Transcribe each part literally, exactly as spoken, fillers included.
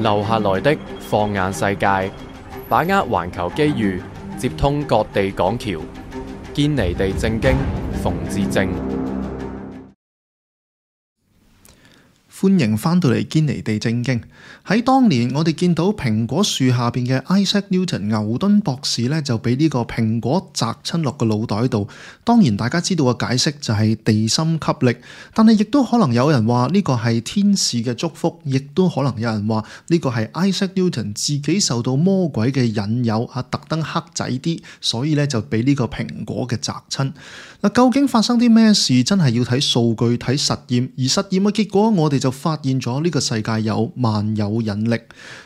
留下來的放眼世界，把握環球機遇，接通各地港橋，堅尼地正經，馮智政。歡迎翻到嚟堅尼地正經。喺當年，我哋見到蘋果樹下邊嘅 Isaac Newton 牛頓博士咧，就俾呢個蘋果砸親落個腦袋度。當然，大家知道嘅解釋就係地心吸力，但係亦都可能有人話呢個係天使嘅祝福，亦都可能有人話呢個係 Isaac Newton 自己受到魔鬼嘅引誘啊，特登黑仔啲，所以咧就俾呢個蘋果嘅砸親。嗱，究竟發生啲咩事？真係要睇數據、睇實驗，而實驗嘅結果，我哋就發現咗呢個世界有萬有引力。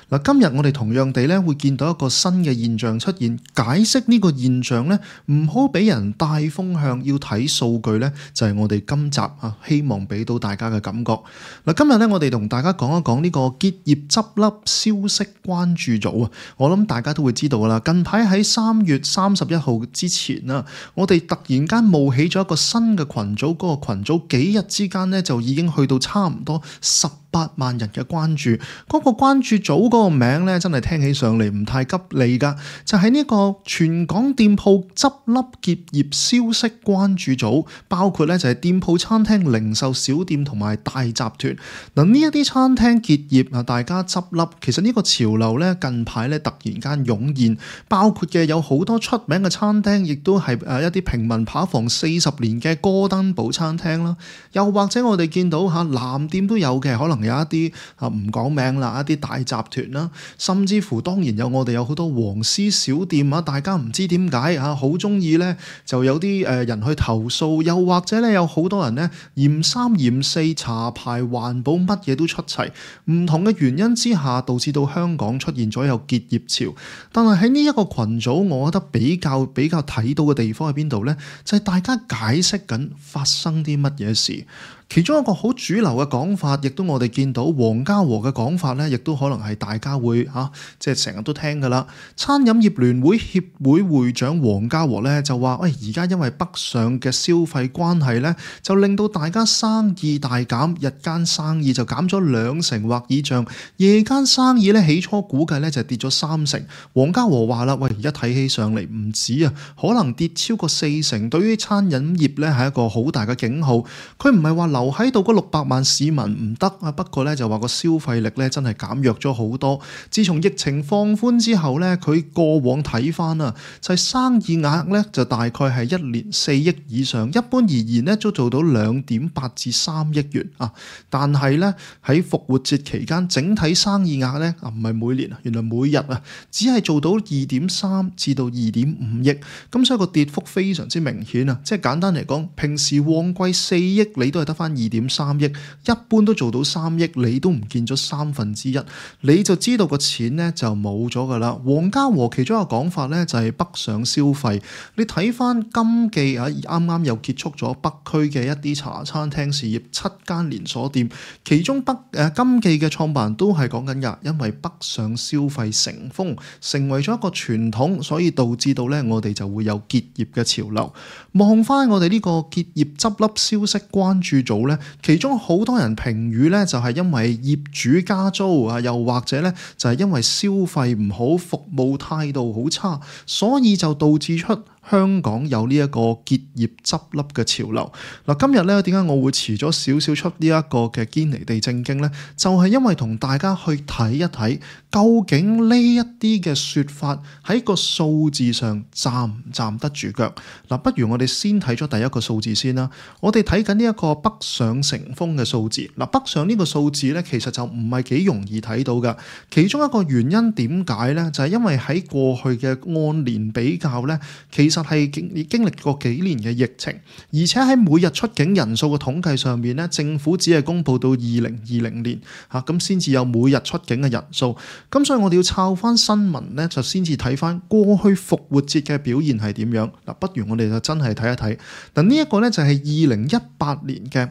嗱，今日我哋同樣地咧會見到一個新嘅現象出現，解釋呢個現象咧唔好俾人帶風向，要睇數據咧就係我哋今集啊希望俾到大家嘅感覺。嗱，今日咧我哋同大家講一講呢個結業執笠消息關注組啊，我諗大家都會知道噶啦。近排喺三月三十一號之前啊，我哋突然間冒起咗一個新嘅群組，嗰個群組幾日之間咧就已經去到差唔多十八萬人嘅關注。嗰個關注組嗰個名咧真係聽起上嚟唔太吉利噶，就係呢個全港店鋪執笠結業消息關注組，包括咧就係店鋪、餐廳、零售小店同埋大集團。嗱，呢一啲餐廳結業啊，大家執笠，其實呢個潮流咧近排咧突然間湧現，包括嘅有好多出名嘅餐廳，亦都係誒一啲平民扒房四十年嘅哥登堡餐廳啦，又或者我哋見到嚇藍店都有嘅，可能有一啲啊唔講名啦，一啲大集團啦，甚至乎當然有我哋有好多黃絲小店啊，大家唔知點解啊好中意咧，就有啲誒人去投訴，又或者咧有好多人咧嫌三嫌四，茶牌環保乜嘢都出齊，唔同嘅原因之下，導致到香港出現咗有結業潮。但係喺呢一個群組，我覺得比較比較睇到嘅地方喺邊度咧？就係大家解釋緊發生啲乜嘢事。其中一個好主流嘅講法，亦都我哋見到黃家和嘅講法咧，亦都可能係大家會嚇、啊，即係成日都聽㗎啦。餐飲業聯會協會會長黃家和咧就話：喂，而家因為北上嘅消費關係咧，就令到大家生意大減，日間生意就減咗兩成或以上，夜間生意咧起初估計咧就跌咗三成。黃家和話啦：喂，而家睇起上嚟唔止啊，可能跌超過四成，對於餐飲業咧係一個好大嘅警號。佢唔係話留喺度嗰六百萬市民唔得啊，不過咧就話個消費力咧真係減弱咗好多。自從疫情放寬之後咧，佢過往睇翻啊，就係生意額咧就大概係一年四億以上，一般而言咧都做到兩點八至三億元啊。但係咧喺復活節期間，整體生意額咧啊唔係每年啊，原來每日啊只係做到二點三至到二點五億，咁所以個跌幅非常之明顯啊。即係簡單嚟講，平時旺季四億你都係得翻二點三億，一般都做到三億，你都唔見咗三分之一，你就知道個錢咧就冇咗噶啦。黃家和其中一個講法咧就係北上消費，你睇翻金記啊，啱啱又結束咗北區嘅一啲茶餐廳事業，七間連鎖店，其中北誒金記嘅創辦人都係講緊噶，因為北上消費成風，成為咗一個傳統，所以導致到咧我哋就會有結業嘅潮流。望翻我哋呢個結業執笠消息關注組咧，其中好多人評語咧就係因為業主加租啊，又或者咧就係因為消費唔好，服務態度好差，所以就導致出香港有呢一個結業執笠嘅潮流。嗱，今日咧點解我會遲咗少少出呢一個嘅堅尼地正經咧？就係因為同大家去睇一睇，究竟呢一啲嘅說法喺個數字上站唔站得住腳。嗱，不如我哋先睇咗第一個數字先啦。我哋睇緊呢一個北上成風嘅數字。嗱，北上呢個數字咧，其實就唔係幾容易睇到噶。其中一個原因點解咧？就係因為喺過去嘅按年比較咧，其實係經經歷過幾年嘅疫情，而且喺每日出境人數嘅統計上面咧，政府只係公布到二零二零年嚇，咁先至有每日出境嘅人數。咁所以我哋要抄翻新聞咧，就先至睇翻過去復活節嘅表現係點樣。嗱，不如我哋就真係睇一睇。嗱，呢一個咧就係二零一八年嘅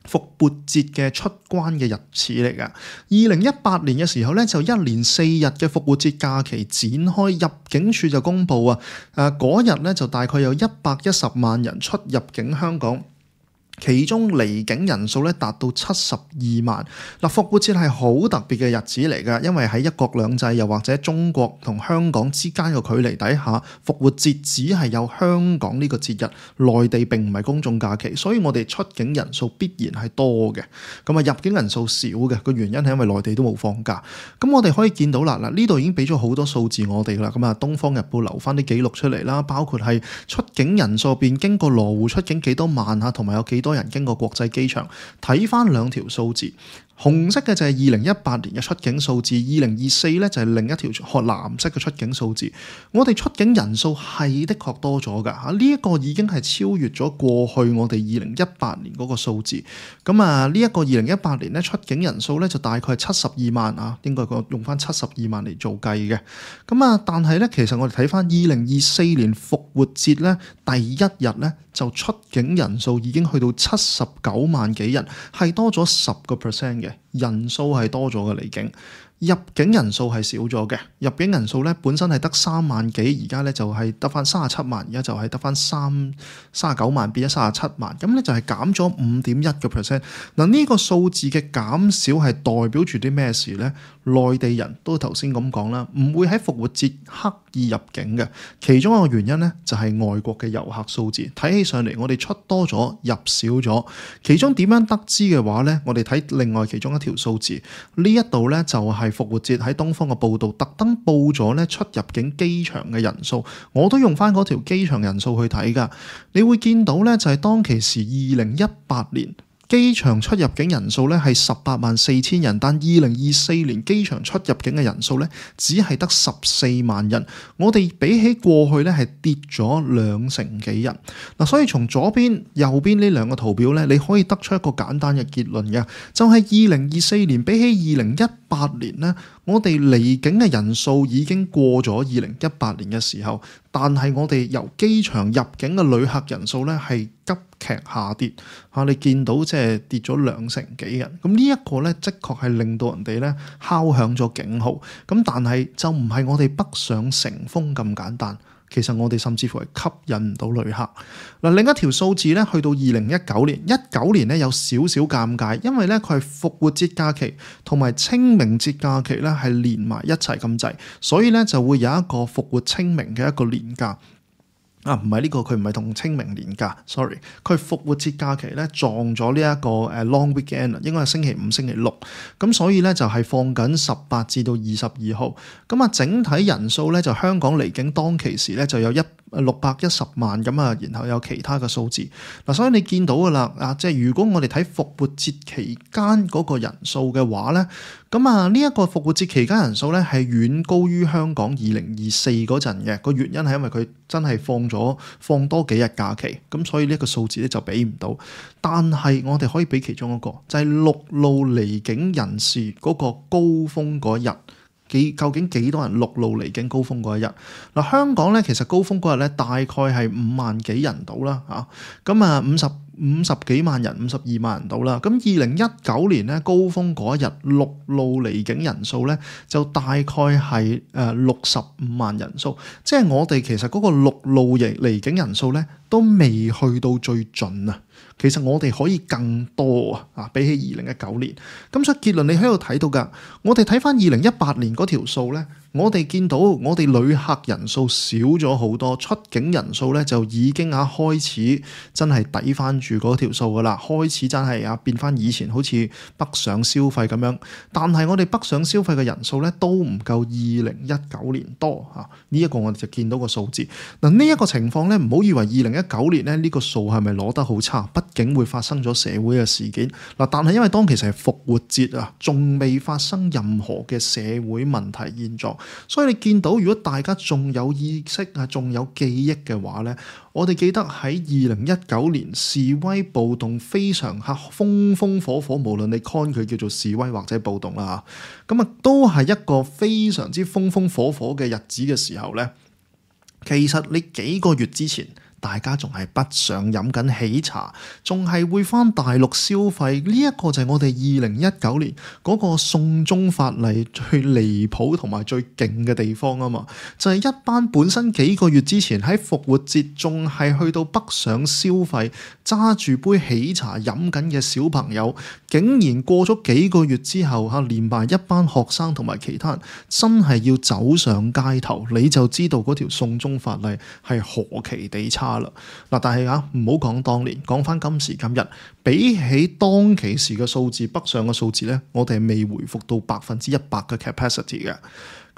復活節嘅出關嘅日子嚟㗎。二零一八年嘅時候咧，就一連四日嘅復活節假期展開，入境處就公布啊，誒嗰日咧就大概有一百一十萬人出入境香港。其中離境人數咧達到七十二萬。嗱，復活節係好特別嘅日子嚟㗎，因為喺一國兩制又或者中國同香港之間嘅距離底下，復活節只係有香港呢個節日，內地並唔係公眾假期，所以我哋出境人數必然係多嘅。咁啊，入境人數少嘅個原因係因為內地都冇放假。咁我哋可以見到啦，嗱，呢度已經俾咗好多數字我哋啦。咁啊，《東方日報》留翻啲記錄出嚟啦，包括係出境人數入邊經過羅湖出境幾多萬啊，同埋有幾多人經過國際機場。睇翻兩條數字，紅色嘅就係二零一八年嘅出境數字，二零二四咧就係另一條藍色嘅出境數字。我哋出境人數係的確多咗㗎嚇，呢一個已經係超越咗過去我哋二零一八年嗰個數字。咁啊，呢一個二零一八年咧出境人數咧就大概係七十二萬啊，應該個用翻七十二萬嚟做計嘅。咁啊，但係咧其實我哋睇翻二零二四年復活節咧第一日咧就出境人數已經去到七十九萬幾人，係多咗十個 percent 嘅人數係多咗嘅離境。入境人數係少咗嘅，入境人數咧本身係得三萬幾，而家咧就係得翻三十七萬，而家就係得翻三三十九萬變咗三十七萬，咁咧就係減咗五點一個 percent。嗱，呢個數字嘅減少係代表住啲咩事咧？內地人都頭先咁講啦，唔會喺復活節刻意入境嘅，其中一個原因咧就係外國嘅遊客數字睇起上嚟，我哋出多咗入少咗。其中點樣得知嘅話咧，我哋睇另外其中一條數字，呢一度咧就係復活節喺東方嘅報導，特登報咗咧出入境機場嘅人數，我都用翻嗰條機場人數去睇㗎。你會見到咧就係當其時二零一八年。機場出入境人數咧係十八萬四千人，但二零二四年機場出入境嘅人數咧只係得十四萬人。我哋比起過去咧係跌咗兩成幾人。嗱，所以從左邊、右邊呢兩個圖表咧，你可以得出一個簡單嘅結論嘅，就係二零二四年比起二零一八年咧，我哋離境嘅人數已經過咗二零一八年嘅時候，但係我哋由機場入境嘅旅客人數咧係急劇下跌嚇，你見到即係跌咗兩成幾人。咁呢一個咧，的確係令到人哋咧敲響咗警號。咁但係就唔係我哋北上成風咁簡單。其實我哋甚至乎係吸引唔到旅客。嗱，另一條數字咧，去到二零一九年，一九年咧有少少尷尬，因為咧佢係復活節假期同埋清明節假期咧係連埋一齊咁滯，所以咧就會有一個復活清明嘅一個連假。啊，唔係呢個，佢唔係同清明連假 ，sorry， 佢復活節假期咧撞咗呢一個誒 long weekend 啊，應該係星期五、星期六，咁所以咧就係放緊十八至到二十二號，咁啊整體人數咧就香港離境當其時咧就有一六百一十萬咁啊，然後有其他嘅數字嗱，所以你見到噶啦啊，即係如果我哋睇復活節期間嗰個人數嘅話咧，咁啊呢一個復活節期間人數咧係遠高於香港二零二四嗰陣嘅，個原因係因為佢真係放咗放多幾日假期，咁所以呢一個數字咧就比唔到。但係我哋可以比其中一個，就係陸路離境人士嗰個高峰嗰日。幾究竟幾多人陸路離境高峰嗰一日？嗱，香港咧其實高峰嗰日咧大概係五萬幾人到啦嚇，咁啊五十五十幾萬人，五十二萬人到啦。咁二零一九年咧高峰嗰一日陸路離境人數咧就大概係誒六十五萬人數，即係我哋其實嗰個陸路離離境人數咧都未去到最盡啊。其實我哋可以更多啊！啊，比起二零一九年，咁所以結論你喺度睇到㗎。我哋睇翻二零一八年嗰條數咧，我哋見到我哋旅客人數少咗好多，出境人數咧就已經啊開始真係抵翻住嗰條數㗎啦，開始真係啊變翻以前好似北上消費咁樣。但係我哋北上消費嘅人數咧都唔夠二零一九年多啊！呢一個我哋就見到個數字。嗱，呢一個情況咧，唔好以為二零一九年咧呢個數係咪攞得好差？畢竟會發生咗社會嘅事件嗱，但係因為當其時係復活節啊，仲未發生任何嘅社會問題現狀，所以你見到如果大家仲有意識啊，仲有記憶嘅話咧，我哋記得喺二零一九年示威暴動非常嚇風風火火，無論你 con 佢叫做示威或者暴動啦嚇，咁啊都係一個非常之風風火火嘅日子嘅時候咧，其實你幾個月之前大家仲係北上飲緊喜茶，仲係會返大陸消費。呢一個就係我哋二零一九年嗰個送中法例最離譜同埋最勁嘅地方啊嘛，就係一班本身幾個月之前喺復活節仲係去到北上消費，揸住杯喜茶飲緊嘅小朋友，竟然過咗幾個月之後嚇，連埋一班學生同埋其他人真係要走上街頭，你就知道嗰條送中法例係何其地差啦！嗱，但係啊，唔好講當年，講翻今時今日，比起當其時嘅數字，北上嘅數字咧，我哋係未回復到百分之一百嘅 capacity 嘅。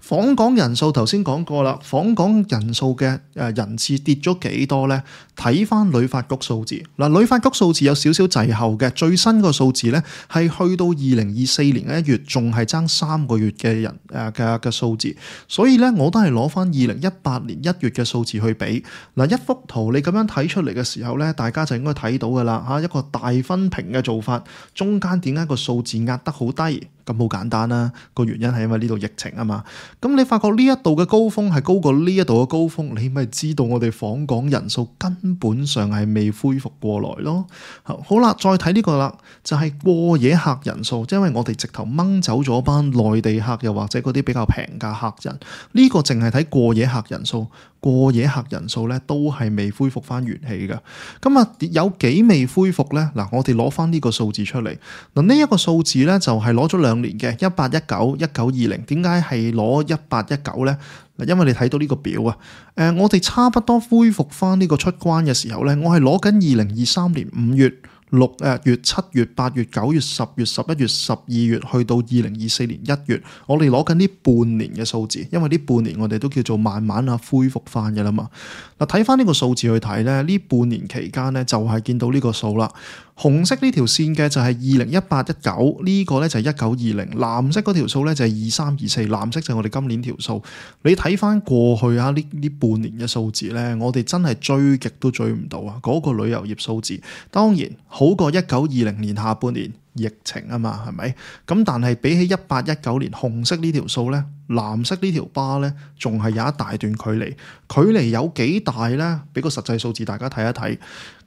訪港人數頭先講過啦，訪港人數嘅誒人次跌咗幾多呢？睇翻旅發局數字，嗱，旅發局數字有少少滯後嘅，最新個數字呢係去到二零二四年嘅一月，仲係爭三個月嘅人誒嘅嘅數字，所以呢，我都係攞翻二零一八年一月嘅數字去比。嗱，一幅圖你咁樣睇出嚟嘅時候呢，大家就應該睇到噶啦嚇，一個大分屏嘅做法，中間點解個數字壓得好低？咁好簡單啦，個原因係因為呢度疫情啊嘛。咁你發覺呢一度嘅高峰係高過呢一度嘅高峰，你咪知道我哋訪港人數根本上係未恢復過來咯。好啦，再睇呢個啦，就係過夜客人數，即係因為我哋直頭掹走咗班內地客，又或者嗰啲比較平價客人，呢個淨係睇過夜客人數。過夜客人數咧都係未恢復翻元氣嘅，咁啊有幾未恢復咧？嗱，我哋攞翻呢個數字出嚟，嗱呢一個數字咧就係攞咗兩年嘅一八一九、一九二零，點解係攞一八一九咧？嗱，因為你睇到呢個表啊，誒、呃，我哋差不多恢復翻呢個出關嘅時候咧，我係攞緊二零二三年五月。六誒月、七月、八月、九月、十月、十一月、十二月，去到二零二四年一月，我哋攞緊呢半年嘅數字，因為呢半年我哋都叫做慢慢啊恢復翻嘅啦嘛。嗱，睇翻呢個數字去睇咧，呢半年期間咧就係見到呢個數啦。紅色呢條線嘅就係二零一八一九，呢個咧就係一九二零，藍色嗰條數咧就係二三二四，藍色就係我哋今年條數。你睇翻過去啊呢呢半年嘅數字咧，我哋真係追極都追唔到啊！嗰個旅遊業數字當然好過一九二零年下半年疫情啊嘛，係咪？咁但係比起一八一九年紅色呢條數咧，藍色呢條巴咧仲係有一大段距離，距離有幾大咧？俾個實際數字大家睇一睇。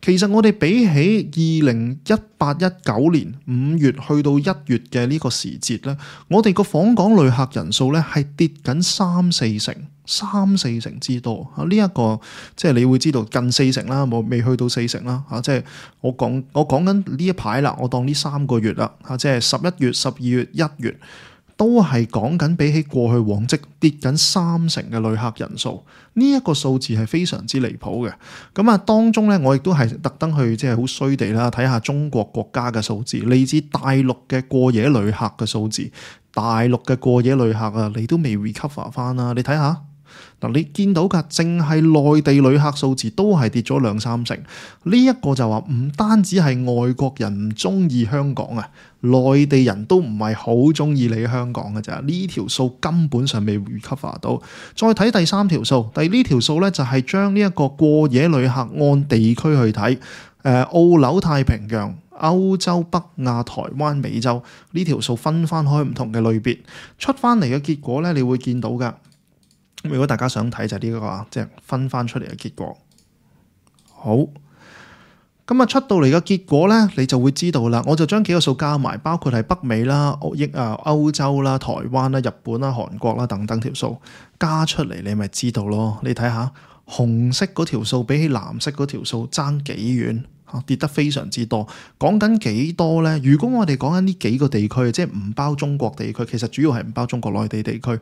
其實我哋比起二零一八一九年五月去到一月嘅呢個時節咧，我哋個訪港旅客人數咧係跌緊三四成，三四成之多啊！呢、這、一個即係你會知道近四成啦，冇未去到四成啦嚇。即係我講我講緊呢一排啦，我當呢三個月啦嚇，即係十一月、十二月、一月。都係講緊比起過去往績跌緊三成嘅旅客人數，呢、這、一個數字係非常之離譜嘅。咁啊，當中咧，我亦都係特登去即係好衰地啦，睇下中國國家嘅數字，嚟自大陸嘅過夜旅客嘅數字，大陸嘅過夜旅客啊，你都未 recover 翻啦，你睇下。嗱，你見到㗎，淨係內地旅客數字都係跌咗兩三成。呢一個就話唔單止係外國人唔中意香港啊，內地人都唔係好中意你香港嘅咋。呢條數根本上未 recover 到。再睇第三條數，第呢條數咧就係將呢一個過夜旅客按地區去睇，誒澳紐太平洋、歐洲、北亞、台灣、美洲呢條數分翻開唔同嘅類別，出翻嚟嘅結果咧，你會見到㗎。如果大家想睇就係呢個即係分翻出嚟嘅結果。好，咁啊出到嚟嘅結果咧，你就會知道啦。我就將幾個數加埋，包括係北美啦、歐益啊、歐洲啦、台灣啦、日本啦、韓國啦等等條數加出嚟，你咪知道咯。你睇下紅色嗰條數比起藍色嗰條數爭幾遠，跌得非常之多。講緊幾多咧？如果我哋講緊呢幾個地區，即係唔包中國地區，其實主要係唔包中國內地地區。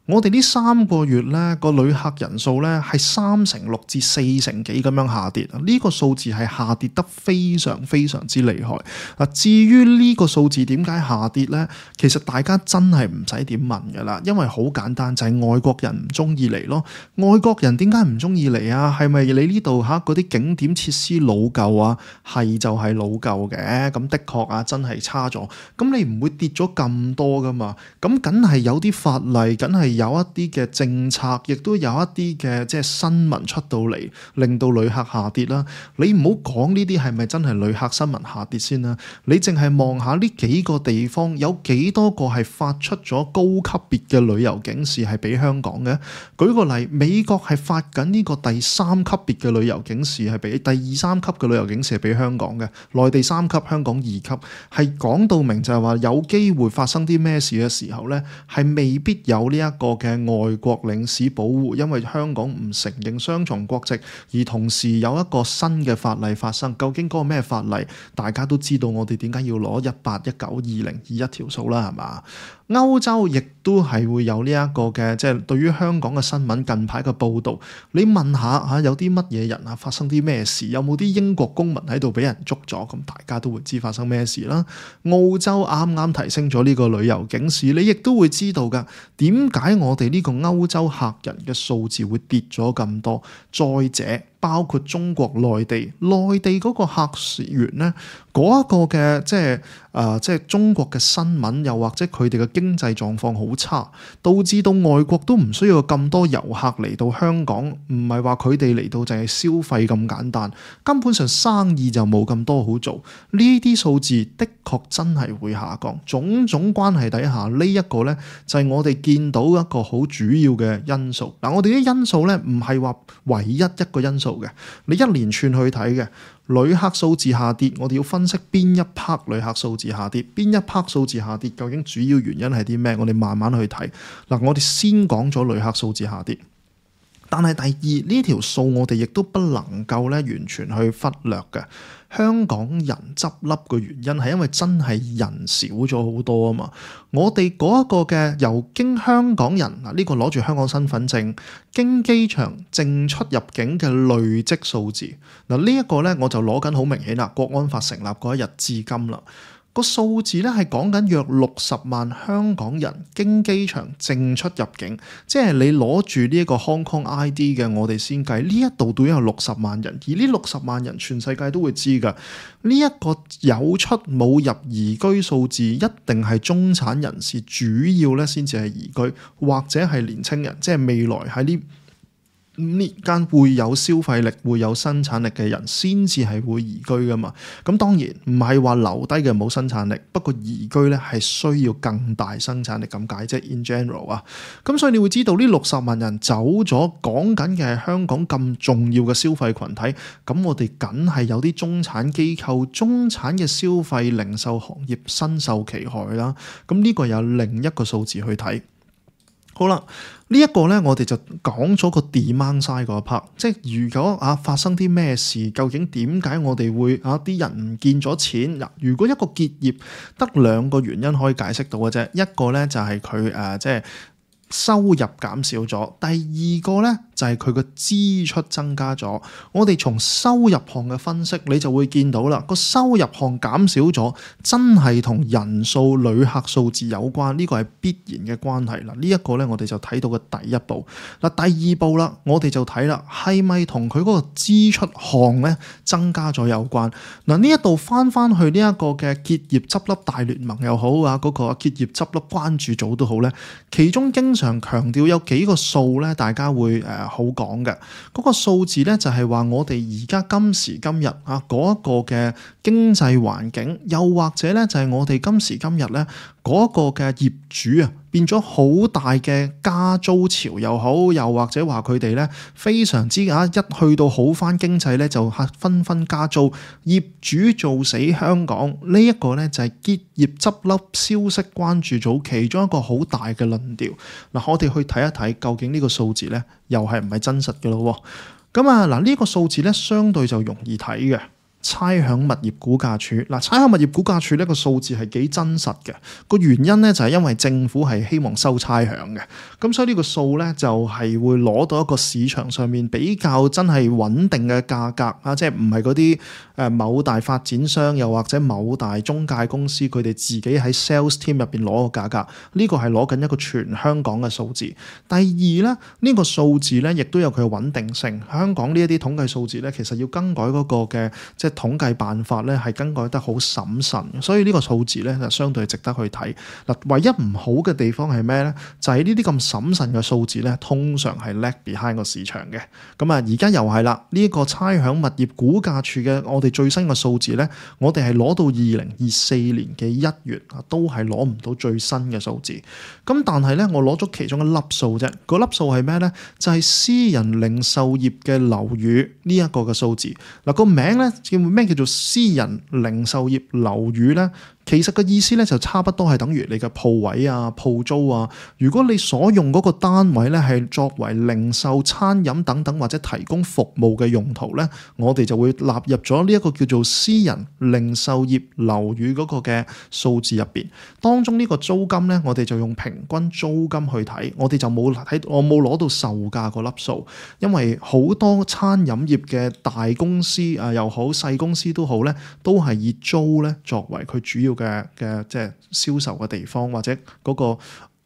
我哋呢三個月咧個旅客人數咧係三成六至四成幾咁樣下跌，呢個數字係下跌得非常非常之厲害。嗱，至於呢個數字點解下跌咧？其實大家真係唔使點問噶啦，因為好簡單，就係外國人唔中意嚟咯。外國人點解唔中意嚟啊？係咪你呢度嚇嗰啲景點設施老舊啊？係就係老舊嘅，咁的確啊真係差咗。咁你唔會跌咗咁多噶嘛？咁梗係有啲法例，梗係有一啲嘅政策，亦都有一啲嘅即係新聞出到嚟，令到旅客下跌啦。你唔好講呢啲係咪真係旅客新聞下跌先啦，你淨係望下呢幾個地方有幾多個係發出咗高級別嘅旅遊警示係俾香港嘅。舉個例，美國係發緊呢個第三級別嘅旅遊警示係俾第二三級嘅旅遊警示係俾香港嘅，內地三級，香港二級，係講到明就係話有機會發生啲咩事嘅時候呢，係未必有呢一個嘅外國領事保護，因為香港唔承認雙重國籍，而同時有一個新嘅法例發生。究竟嗰個咩法例？大家都知道我哋點解要攞一八一九二零二一條數啦，係嘛？歐洲亦都係會有呢一個嘅，即係對於香港嘅新聞近排嘅報導，你問下嚇有啲乜嘢人啊，發生啲咩事？有冇啲英國公民喺度俾人捉咗？咁大家都會知發生咩事啦。澳洲啱啱提升咗呢個旅遊警示，你亦都會知道㗎。點解我哋呢個歐洲客人嘅數字會跌咗咁多？再者，包括中國內地，內地嗰個客源咧，嗰一個嘅即係誒，即係中國嘅新聞，又或者佢哋嘅經濟狀況好差，導致到外國都唔需要咁多遊客嚟到香港，唔係話佢哋嚟到淨係消費咁簡單，根本上生意就冇咁多好做。呢啲數字的確真係會下降，種種關係底下，呢一個咧就係我哋見到一個好主要嘅因素。嗱，我哋啲因素咧唔係話唯一一個因素嘅，你一連串去睇嘅。旅客數字下跌，我哋要分析邊一 part 旅客數字下跌，邊一 part 數字下跌，究竟主要原因係啲咩？我哋慢慢去睇。嗱，我哋先講咗旅客數字下跌，但係第二呢條數我哋亦都不能夠咧完全去忽略嘅。香港人執笠嘅原因係因為真係人少咗好多啊嘛！我哋嗰一個嘅由經香港人嗱，呢個攞住香港身份證經機場淨出入境嘅累積數字嗱，呢一個咧我就攞緊好明顯啦，國安法成立嗰一日至今啦。個數字咧係講緊約六十萬香港人經機場淨出入境，即係你攞住呢一個 Hong Kong I D 嘅，我哋先計呢一度都有六十萬人，而呢六十萬人全世界都會知㗎。呢一個有出冇入移居數字，一定係中產人士主要咧先至係移居，或者係年青人，即係未來喺呢五年間會有消費力、會有生產力嘅人先至係會移居噶嘛。咁當然唔係話留低嘅冇生產力，不過移居咧係需要更大生產力咁解，即係 in general 啊。咁所以你會知道呢六十萬人走咗，講緊嘅係香港咁重要嘅消費群體，咁我哋梗係有啲中產機構、中產嘅消費零售行業身受其害啦。咁呢個有另一個數字去睇。好啦，呢、這、一個咧，我哋就講咗個 demand side 嗰 part，即係如果啊發生啲咩事，究竟點解我哋會啊啲人唔見咗錢？嗱，如果一個結業得兩個原因可以解釋到嘅啫，一個咧就係佢誒即係收入減少咗，第二個咧就係佢個支出增加咗。我哋從收入項嘅分析，你就會見到啦，個收入項減少咗，真係同人數、旅客數字有關，呢個係必然嘅關係啦。呢一個咧，我哋就睇到嘅第一步。嗱，第二步啦，我哋就睇啦，係咪同佢嗰個支出項咧增加咗有關？嗱，呢一度翻翻去呢一個嘅結業執笠大聯盟又好啊，嗰個結業執笠關注組都好咧，其中經常強調有幾個數咧，大家會誒、呃、好講嘅。嗰個數字咧就係話我哋而家今時今日啊嗰一個嘅經濟環境，又或者咧就係我哋今時今日咧嗰個嘅業主啊，變咗好大嘅加租潮又好，又或者話佢哋咧非常之啊一去到好返經濟咧就紛紛加租，業主做死香港。呢、這、一個咧就係結業執笠消息關注組其中一個好大嘅論調。嗱，我哋去睇一睇究竟呢個數字咧又係唔係真實嘅咯？咁啊嗱，呢個數字咧相對就容易睇嘅。差餉物業估價署嗱，差餉物業估價署呢個數字係幾真實嘅，個原因咧就係因為政府係希望收差餉嘅，咁所以呢個數咧就係會攞到一個市場上面比較真係穩定嘅價格啊，即係唔係嗰啲誒某大發展商又或者某大中介公司佢哋自己喺 sales team 入邊攞個價格，呢個係攞緊一個全香港嘅數字。第二咧，呢個數字咧亦都有佢嘅穩定性。香港呢一啲統計數字咧，其實要更改嗰個嘅即係統計辦法咧係更改得好審慎，所以呢個數字咧就相對值得去睇。嗱，唯一唔好嘅地方係咩咧？就係呢啲咁審慎嘅數字咧，通常係 lag behind 個市場嘅。咁啊，而家又係啦，呢、這個差餉物業估價署嘅我哋最新嘅數字咧，我哋係攞到二零二四年嘅一月啊，都係攞唔到最新嘅數字。咁但係咧，我攞咗其中一粒數啫，嗰粒數係咩咧？就係、是、私人零售業嘅樓宇呢一個嘅數字。嗱，個名咧叫咩？叫做私人零售業樓宇咧？其實個意思咧就差不多係等於你嘅鋪位啊、鋪租啊。如果你所用嗰個單位咧係作為零售、餐飲等等或者提供服務嘅用途咧，我哋就會納入咗呢一個叫做私人零售業樓宇嗰個嘅數字入邊。當中呢個租金咧，我哋就用平均租金去睇，我哋就冇睇，我冇攞到售價個粒數，因為好多餐飲業嘅大公司啊又好、細公司都好咧，都係以租咧作為佢主要嘅嘅即係銷售嘅地方，或者嗰個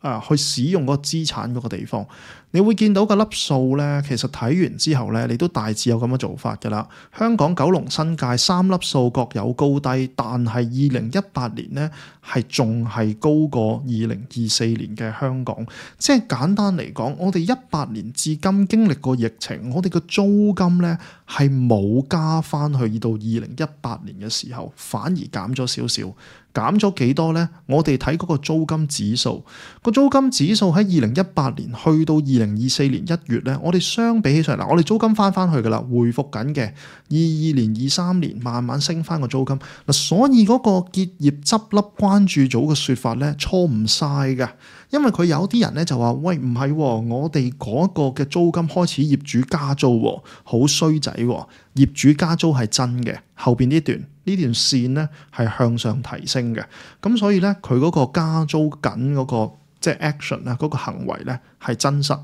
啊去使用嗰個資產嗰個地方。你會見到個粒數咧，其實睇完之後咧，你都大致有咁嘅做法㗎啦。香港、九龍、新界三粒數各有高低，但係二零一八年咧係仲係高過二零二四年嘅香港。即係簡單嚟講，我哋一八年至今經歷過疫情，我哋嘅租金咧係冇加翻去到二零一八年嘅時候，反而減咗少少。減咗幾多呢？我哋睇嗰個租金指數，個租金指數喺二零一八年去到二零二四年一月咧，我哋相比起上嚟，我哋租金翻翻去噶啦，回復緊嘅。二二年、二三年慢慢升翻個租金嗱，所以嗰個結業執笠關注組嘅説法咧錯唔晒嘅，因為佢有啲人咧就話：喂，唔係、哦，我哋嗰個嘅租金開始業主加租、哦，好衰仔、哦，業主加租係真嘅。後邊呢段呢段線咧係向上提升嘅，咁所以咧佢嗰個加租緊嗰個即係 action 啊，嗰個行為咧係真實，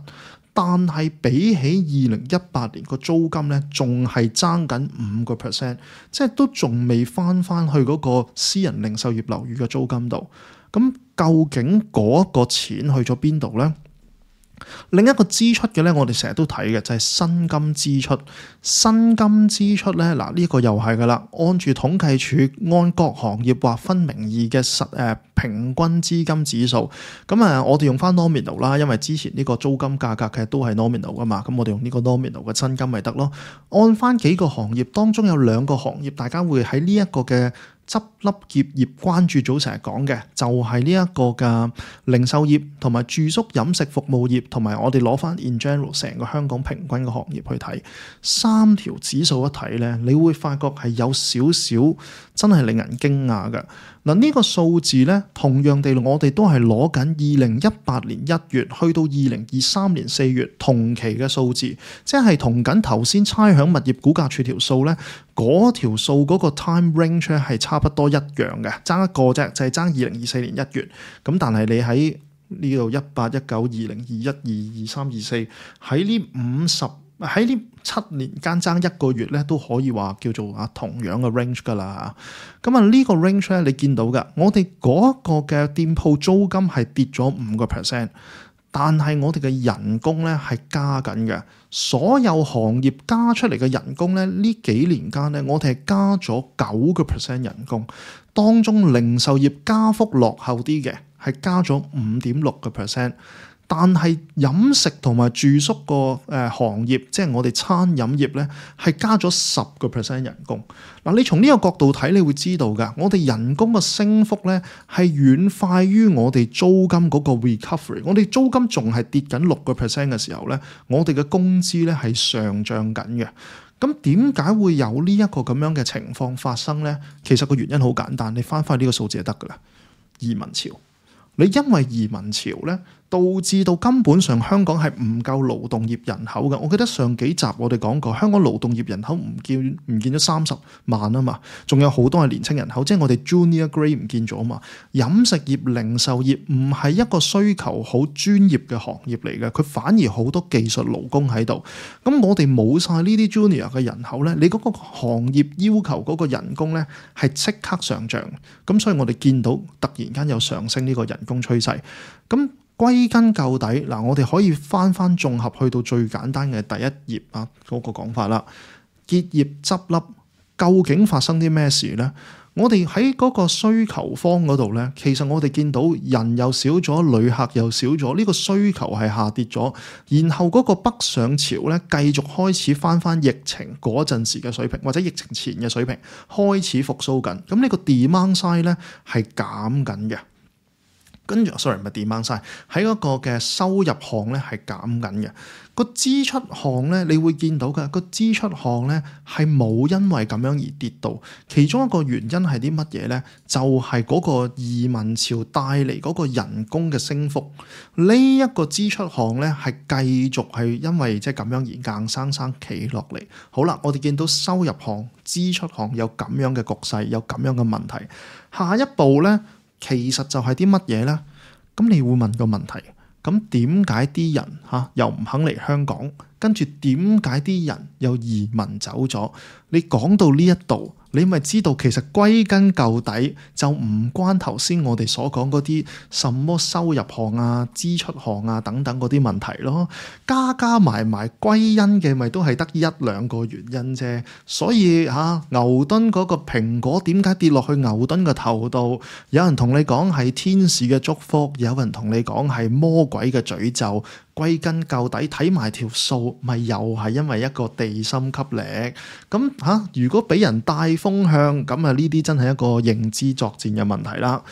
但係比起二零一八年個租金咧仲係爭緊五個 percent， 即係都仲未翻翻去嗰個私人零售業樓宇嘅租金度。咁究竟嗰個錢去咗邊度咧？另一個支出嘅咧，我哋成日都睇嘅就係薪金支出。薪金支出咧，嗱、這、呢個又係噶啦，按住統計處按各行業劃分名義嘅實誒平均資金指數。咁啊，我哋用翻 nominal 啦，因為之前呢個租金價格其實都係 nominal 噶嘛，咁我哋用呢個 nominal 嘅薪金咪得咯。按翻幾個行業當中有兩個行業，大家會喺呢一個嘅執笠結業關注組成日講嘅，就係呢一個嘅零售業同埋住宿飲食服務業，同埋我哋攞翻 in general 成個香港平均嘅行業去睇，三條指數一睇咧，你會發覺係有少少真係令人驚訝嘅。嗱，呢個數字咧，同樣地我哋都係攞緊二零一八年一月去到二零二三年四月同期嘅數字，即係同緊頭先差餉物業估價署條數咧，嗰條數嗰個 time range 咧係差不多一樣嘅，爭一個啫，就係爭二零二四年一月。咁但係你喺呢度一八、一九、二零、二一、二二、三、二四喺呢五十喺呢七年間爭一個月咧，都可以話叫做啊同樣嘅 range 噶啦。咁啊呢個 range 咧，你見到噶，我哋嗰個嘅店鋪租金係跌咗五個 percent， 但係我哋嘅人工咧係加緊嘅。所有行業加出嚟嘅人工咧，呢幾年間咧，我哋係加咗九個 percent 人工，當中零售業加幅落後啲嘅係加咗五點六個 percent。但係飲食同埋住宿個誒行業，即係我哋餐飲業咧，係加咗十個 percent 人工。嗱，你從呢個角度睇，你會知道㗎，我哋人工嘅升幅咧係遠快於我哋租金嗰個 recovery。我哋租金仲係跌緊六個 percent 嘅時候咧，我哋嘅工資咧係上漲緊嘅。咁點解會有呢一個咁樣嘅情況發生咧？其實個原因好簡單，你翻返去呢個數字就得㗎啦。移民潮，你因為移民潮咧，導致到根本上香港係唔夠勞動業人口嘅。我記得上幾集我哋講過，香港勞動業人口唔見唔見咗三十萬啊嘛，仲有好多係年輕人口，即係我哋 junior grade 唔見咗啊嘛。飲食業、零售業唔係一個需求好專業嘅行業嚟嘅，佢反而好多技術勞工喺度。咁我哋冇晒呢啲 junior 嘅人口咧，你嗰個行業要求嗰個人工咧係即刻上漲。咁所以我哋見到突然間有上升呢個人工趨勢。咁歸根究底，嗱，我哋可以翻翻綜合去到最簡單嘅第一頁啊嗰個講法啦。結業執笠究竟發生啲咩事呢？我哋喺嗰個需求方嗰度呢，其實我哋見到人又少咗，旅客又少咗，呢個需求係下跌咗。然後嗰個北上潮呢，繼續開始翻翻疫情嗰陣時嘅水平，或者疫情前嘅水平開始復甦緊。咁呢個 demand side 呢係減緊嘅。跟住，sorry 唔係 demand side，喺嗰個嘅收入項咧係減緊嘅。個支出項咧，你會見到嘅個支出項咧係冇因為咁樣而跌到。其中一個原因係啲乜嘢咧？就係嗰個移民潮帶嚟嗰個人工嘅升幅。呢一個支出項咧係繼續係因為即係咁樣而硬生生企落嚟。好啦，我哋見到收入項、支出項有咁樣嘅局勢，有咁樣嘅問題。下一步咧，其實就係啲乜嘢呢？咁你會問個問題，咁點解啲人嚇又唔肯嚟香港？跟住點解啲人又移民走咗？你講到呢一度，你咪知道其實歸根究底就唔關頭先我哋所講嗰啲什麼收入項啊、支出項啊等等嗰啲問題咯。加加埋埋歸因嘅咪都係得一兩個原因啫。所以嚇、啊、牛頓嗰個蘋果點解跌落去牛頓嘅頭度？有人同你講係天使嘅祝福，有人同你講係魔鬼嘅詛咒。歸根究底睇埋條數，咪又係因為一個地心吸力。咁嚇、啊，如果俾人帶風向，咁啊呢啲真係一個認知作戰嘅問題啦。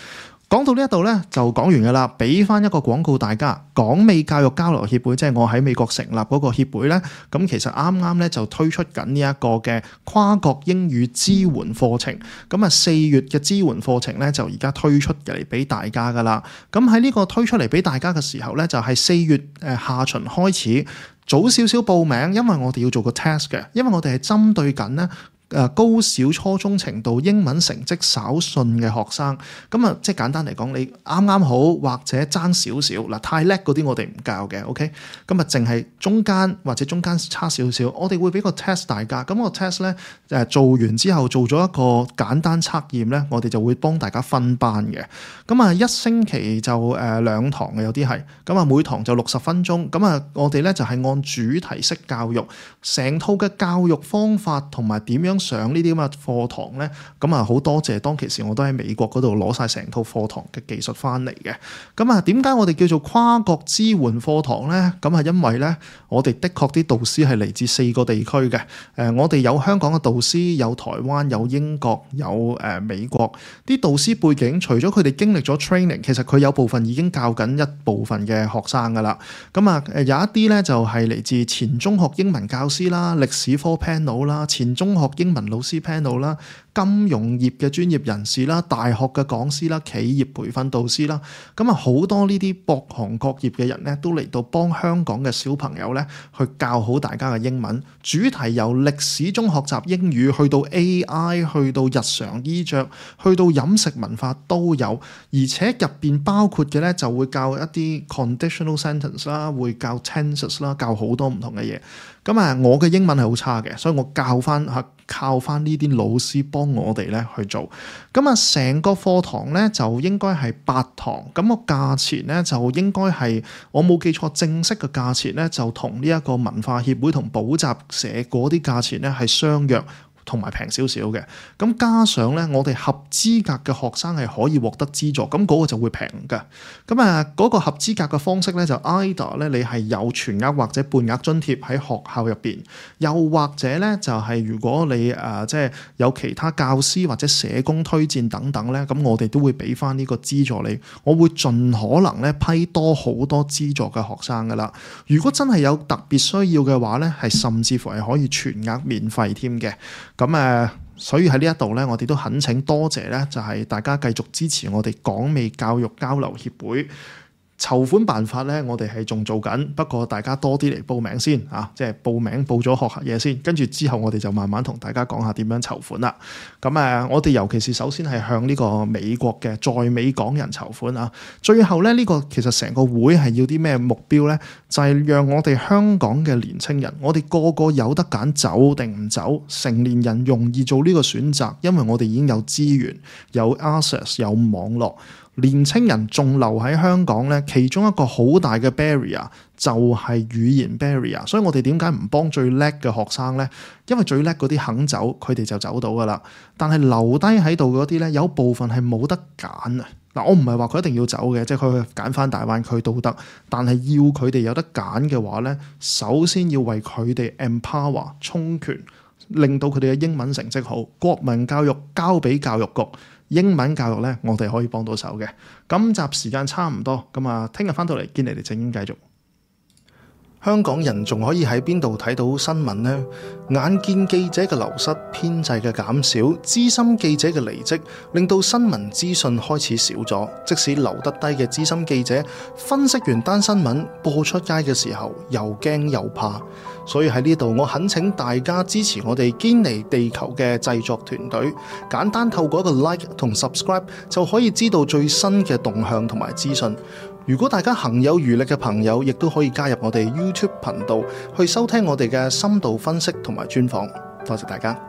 講到呢一度咧，就講完㗎啦。俾翻一個廣告大家，港美教育交流協會，即係我喺美國成立嗰個協會咧，咁其實啱啱咧就推出緊呢一個嘅跨國英語支援課程。咁啊四月嘅支援課程咧就而家推出嚟俾大家㗎啦。咁喺呢個推出嚟俾大家嘅時候咧，就係四月誒下旬開始，早少少報名，因為我哋要做個 test 嘅，因為我哋係針對緊咧。誒高小初中程度英文成績稍遜嘅學生，咁啊即係簡單嚟講，你啱啱好或者爭少少嗱，太叻嗰啲我哋唔教嘅 ，OK，咁啊淨係中間或者中間差少少，我哋會俾個 test 大家，咁個 test 咧誒做完之後做咗一個簡單測驗咧，我哋就會幫大家分班嘅，咁啊一星期就誒兩堂嘅有啲係，咁啊每堂就六十分鐘，咁啊我哋咧就係按主題式教育，成套嘅教育方法同埋點樣上呢啲咁嘅課堂咧，咁啊好多謝當其時我都喺美國嗰度攞晒成套課堂嘅技術翻嚟嘅。咁啊點解我哋叫做跨國支援課堂咧？咁啊因為咧我哋的確啲導師係嚟自四個地區嘅。誒我哋有香港嘅導師，有台灣，有英國，有誒美國。啲導師背景除咗佢哋經歷咗 training， 其實佢有部分已經教緊一部分嘅學生噶啦。咁啊誒有一啲咧就係嚟自前中學英文教師啦、歷史科 panel 啦、前中學英文老師 panel 啦、金融業嘅專業人士啦、大學嘅講師啦、企業培訓導師啦，咁啊好多呢啲各行各業嘅人咧，都嚟到幫香港嘅小朋友咧去教好大家嘅英文。主題由歷史中學習英語，去到 A I， 去到日常衣着，去到飲食文化都有，而且入邊包括嘅咧就會教一啲 conditional sentence 啦，會教 tenses 啦，教好多唔同嘅嘢。咁啊，我嘅英文係好差嘅，所以我教翻嚇靠翻呢啲老師幫我哋咧去做。咁啊，成個課堂咧就應該係八堂，咁個價錢咧就應該係我冇記錯，正式嘅價錢咧就同呢一個文化協會同補習社嗰啲價錢咧係相約。同埋平少少嘅，咁加上咧，我哋合資格嘅學生係可以獲得資助，咁嗰個就會平嘅。咁啊，嗰個合資格嘅方式咧就 either 咧，你係有全額或者半額津貼喺學校入邊，又或者咧就係如果你誒即係有其他教師或者社工推薦等等咧，咁我哋都會俾翻呢個資助你。我會盡可能咧批多好多資助嘅學生噶啦。如果真係有特別需要嘅話咧，係甚至乎係可以全額免費添嘅。咁誒，所以喺呢一度咧，我哋都懇請多謝咧，就係大家繼續支持我哋港美教育交流協會。籌款辦法咧，我哋係仲做緊，不過大家多啲嚟報名先啊！即係報名報咗學下嘢先，跟住之後我哋就慢慢同大家講下點樣籌款啦。咁誒，我哋尤其是首先係向呢個美國嘅在美港人籌款啊。最後咧，呢個其實成個會係要啲咩目標咧？就係讓我哋香港嘅年青人，我哋個個有得揀走定唔走，成年人容易做呢個選擇，因為我哋已經有資源、有 access、有網絡。年青人仲留喺香港呢，其中一個好大嘅 barrier 就係語言 barrier。所以我哋點解唔幫最叻嘅學生呢？因為最叻嗰啲肯走，佢哋就走到噶啦。但係留低喺度嗰啲呢，有部分係冇得揀啊！嗱，我唔係話佢一定要走嘅，即係佢去揀翻大灣區都得。但係要佢哋有得揀嘅話呢，首先要為佢哋 empower 充權，令到佢哋嘅英文成績好。國民教育交俾教育局。英文教育咧，我哋可以幫到手嘅。今集時間差唔多，咁啊，聽日翻到嚟堅尼地正經繼續。香港人仲可以喺邊度睇到新聞呢？眼見記者嘅流失、編制嘅減少、資深記者嘅離職，令到新聞資訊開始少咗。即使留得低嘅資深記者，分析完單新聞播出街嘅時候，又驚又怕。所以喺呢度，我懇請大家支持我哋堅尼地球嘅製作團隊，簡單透過一個 like 同 subscribe 就可以知道最新嘅動向同埋資訊。如果大家行有餘力嘅朋友，亦都可以加入我哋 YouTube 頻道去收聽我哋嘅深度分析同埋專訪。多謝大家。